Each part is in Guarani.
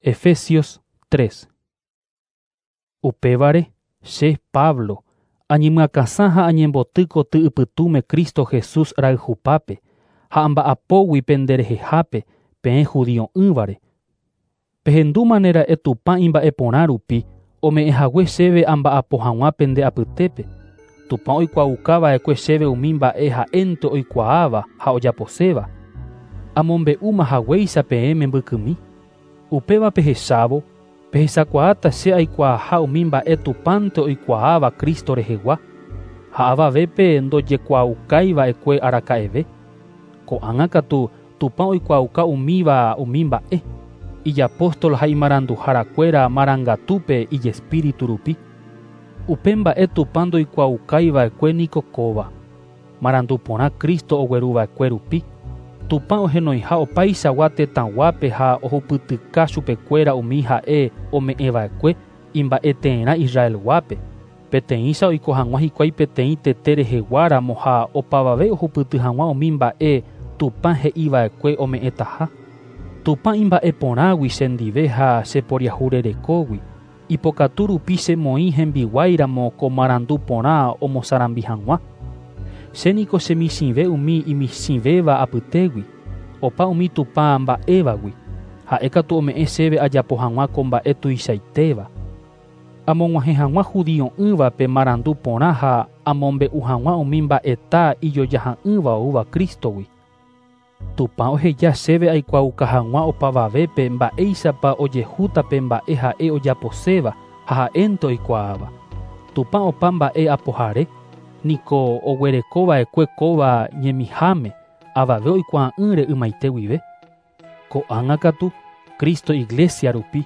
Efesios 3. Upévare, che, Pablo, añemyakãsã ha añemboty koty ypytũme Cristo Jesús rayhupápe, ha amba'apógui penderehehápe peẽ judio'ỹvare. Pehendúmanera'e Tupã imba'eporã rupi ome'ẽhague chéve amba'apo hag̃ua pende apytépe. Tupã oikuaaukava'ekue chéve umi mba'e ha'énte oikuaáva ha ojaposéva. Amombe'úma haguéicha peẽme mbykymi. Upéva pehechávo, pehechakuaáta che aikuaaha umi mba'e Tupãnte oikuaáva Cristo rehegua, ha avavépe ndojekuaaukaiva'ekue araka'eve. Ko'ág̃a katu Tupã oikuaauka umíva umi mba'e, ijapóstol ha imaranduharakuéra marangatúpe ijespíritu rupi. Upe mba'e Tupã ndoikuaaukaiva'ekue niko kóva. Marandu porã Cristo ogueruva'ekue rupi. Tupã ohenoiha opaichagua tetãguápe ha ohupytyka chupekuéra umi ha'e ome'ẽva'ekue imba'eteerã Israelguápe. Peteĩcha oiko hag̃ua hikuái peteĩ tete reheguáramo ha opavave ohupyty hag̃ua umi mba'e Tupã he'iva'ekue ome'ẽtaha. Tupã imba'eporãgui chendive ha cheporiahurerekógui. Ipokatu rupi chemoĩ hembiguáiramo ko marandu porã omosarambi hag̃ua. Che niko chemichĩve umi imichĩvéva apytégui, opa umi Tupã mba'évagui. Ha'e katu ome'ẽ chéve ajapo hag̃ua ko mba'e tuichaitéva. Amog̃uahẽ hag̃ua judio'ỹvape marandu porã ha amombe'u hag̃ua umi mba'eta ijojaha'ỹva oúva Cristogui. Tupã oheja chéve aikuaauka hag̃ua opavavépe mba'éichapa ojehúta pe mba'e ha'e ojaposéva ha ha'énte oikuaáva. Tupã opa mba'e apohare, niko oguerekova'ekue kóva ñemiháme avave oikuaa'ỹre ymaite guive. Ko'ág̃a katu, Cristo Iglesia rupi,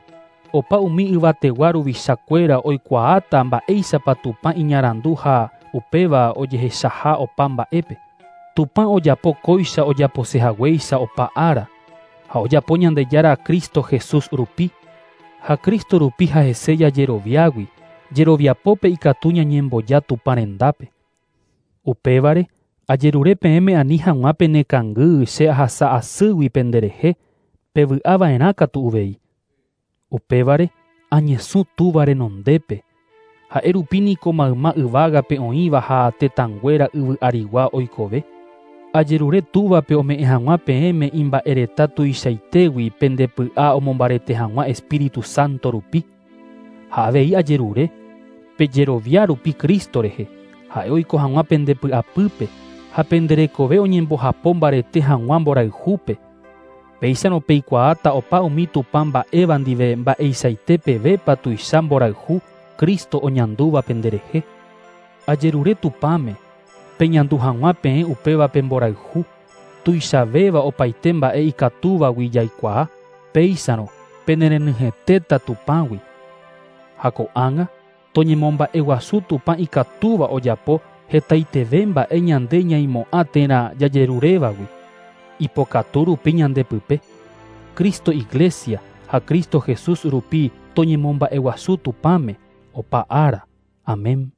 opa umi yvategua ruvichakuéra oikuaáta mba'éichapa Tupã iñarandu ha upéva ojehechaha opa mba'épe. Tupã ojapo kóicha ojaposehaguéicha opa ára, ha ojapo Ñandejára Cristo Jesús rupi, ha Cristo rupi ha'ese jajeroviágui, jeroviapópe ikatu ñañemboja Tupã rendápe. Upévare, ajerure peẽme ani hag̃ua penekangy che ahasa asýgui penderehe, pevy'ava'erã katu uvei. Upévare, añesũ Túva renondépe, ha'e rupi niko mayma yvágape oĩva ha tetãnguéra yvy arigua oikove. Ajerure Túvape ome'ẽ hag̃ua peẽme imba'ereta tuichaitégui pendepy'a omombarete hag̃ua Espíritu Santo rupi. Ha avei ajerure, pejerovia rupi Cristo rehe, ha'e oiko hag̃ua pendepy'apýpe ha penderekove oñembohapo mbarete hag̃ua mborayhúpe. Péicharõ peikuaáta opa umi Tupã mba'éva ndive mba'eichaite pevépa tuicha mborayhu Cristo oñandúva penderehe. Ajerure Tupãme, peñandu hag̃ua peẽ upéva pe mborayhu, tuichavéva opaite mba'e ikatúvagui jaikuaa, péicharõ penerenyhẽtéta Tupãgui. Ha ko'ág̃a, toñemomba'eguasu Tupã ikatúva ojapo hetaiteve mba'e ñande ñaimo'ã térã jajerurévagui. Ipokatu rupi ñandepype. Cristo Iglesia ha Cristo Jesús rupi toñemomba'eguasu Tupãme opa ára. Amén.